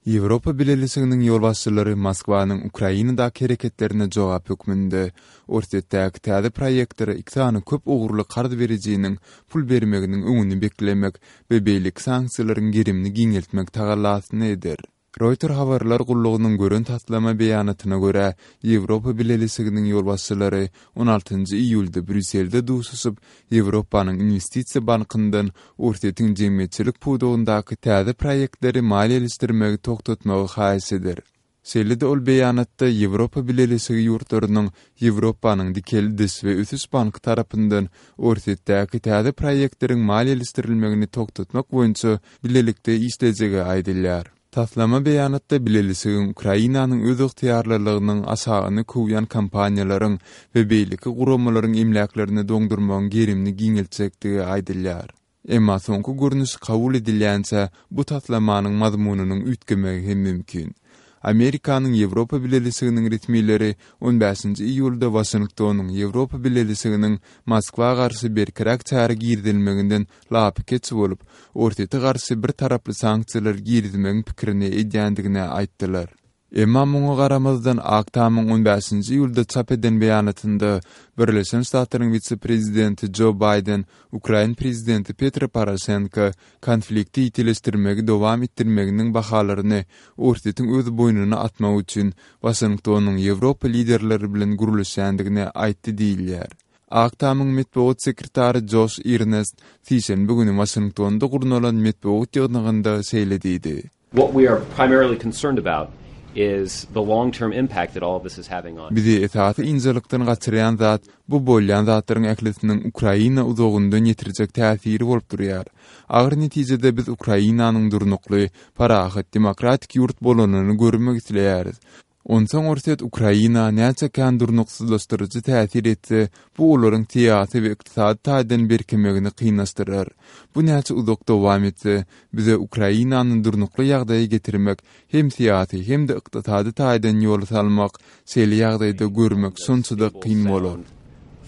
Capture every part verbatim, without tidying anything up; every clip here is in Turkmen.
Ýewropa Bileleşiginiň ýolbaşçylary Moskwanyň Ukrainadaky hereketlerine jogap hökmünde Orsýetdäki täze proýektlere iki sany köp ugurly karz berijiniň pul bermeginiň öňüni beklemek we beýleki sanksiýalaryň gerimini giňeltmek tagallasyny eder. Reuters habarlar gullugynyň gören taslama beýanatyna görä, Ýewropa Bileleşiginiň ýolbaşçylary on altynjy iýulda Brýusselde duşuşyp, Ýewropanyň Inwestisiýa bankyndan Orsýetiň jemgyýetçilik pudagyndaky täze proýektleri maliýeleşdirmegi togtatmagy haýyş eder. Şeýle-de ol beýanatda Ýewropa Bileleşigi ýurtlarynyň Ýewropanyň Dikeldiş we Ösüş banky tarapyndan Orsýetdäki täze proýektleriň maliýeleşdirilmegini togtatmak boýunça bilelikde işlejegi aýdylýar. Taslama beýanatda Bileleşigiň Ukrainanyň öz ygtyýarlylygynyň aşagyny kowýan kompaniýalaryň we beýleki guramalaryň emläklerini doňdurmagyň gerimini giňeltjekdigi aýdylýar. Emma soňky görnüş kabul edilýänçä bu taslamanyň mazmunynyň üýtgemegi hem mümkin. Amerikanyň Ýewropa Bileleşiginiň resmileri on bäşinji iýulda Waşingtonyň Ýewropa Bileleşiginiň Moskwa garşy berkiräk çäre girizilmeginden lapykeç bolup, Orsýete garşy bir taraply sanksiýalar girizmegiň pikirini edýändigini aýtdylar. Emma muňa garamazdan Ak Tamyň on bäşinji iýulda çap eden beýanatynda Birleşen Ştatlaryň wise-prezidenti Jo Baýden Ukrain prezidenti Petro Poroşenko konflikti ýitileşdirmegi dowam etdirmeginiň bahalaryny Orsýetiň öz boýnuna atmak üçin Waşingtonyň Ýewropa liderleri bilen gürleşýändigini aýtdy diýilýär. Ak Tamyň metbugat sekretary Joş Irnest sişenbe güni Waşingtonda gurnalan metbugat ýygnagynda şeýle diýdi. What we are primarily concerned about is the long-term impact that all of this is having on. Bizi esasy ynjalykdan gaçyrýan zat bu bolýan zatlaryň ählisiniň Ukraina uzagyndan ýetirjek täsiri bolup durýar. Agyr netijede biz Ukrainanyň durnukly, parahat, demokratik ýurt bolanyny görmek isleýäris. Onsoň Orsýet Ukraina näçe kän durnuksyzlaşdyryjy täsir etse, bu olaryň syýasy we ykdysady taýdan berkemegini kynlaşdyrar. Bu näçe uzak dowam etse, bize Ukrainany durnukly ýagdaýa getirmek, hem syýasy hem-de ykdysady taýdan ýola salmak, şeýle ýagdaýda görmek şonça-da kyn bolar.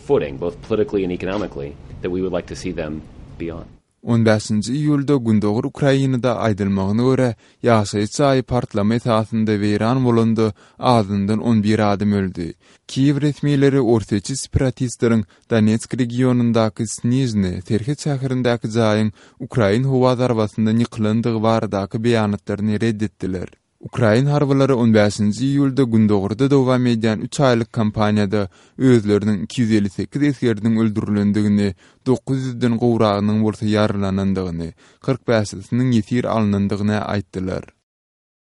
Footing, both politically and economically, that we would like to see them be on. On bäşinji iýulda Gündogar Ukrainada aýdylmagyna görä, ýaşaýyş jaýy partlama esasynda weýran bolanda azyndan on bir adam öldi. Kiýew resmileri orsýetçi separatistleriň Donetsk regionyndaky Snižny serhet şäherindäki jaýyň ukrain howa zarbasyndan ýykylandygy baradaky beýanatlaryny red etdiler. Ukrain harbylary on bäşinji iýulda Gündogarda dowam edýän üç aýlyk kampaniýada özleriniň iki ýüz elli sekiz esgeriniň öldürilendigini, dokuz ýüzden gowragynyň bolsa ýaralanandygyny, kyrk bäşisiniň ýesir alynandygyny aýtdylar.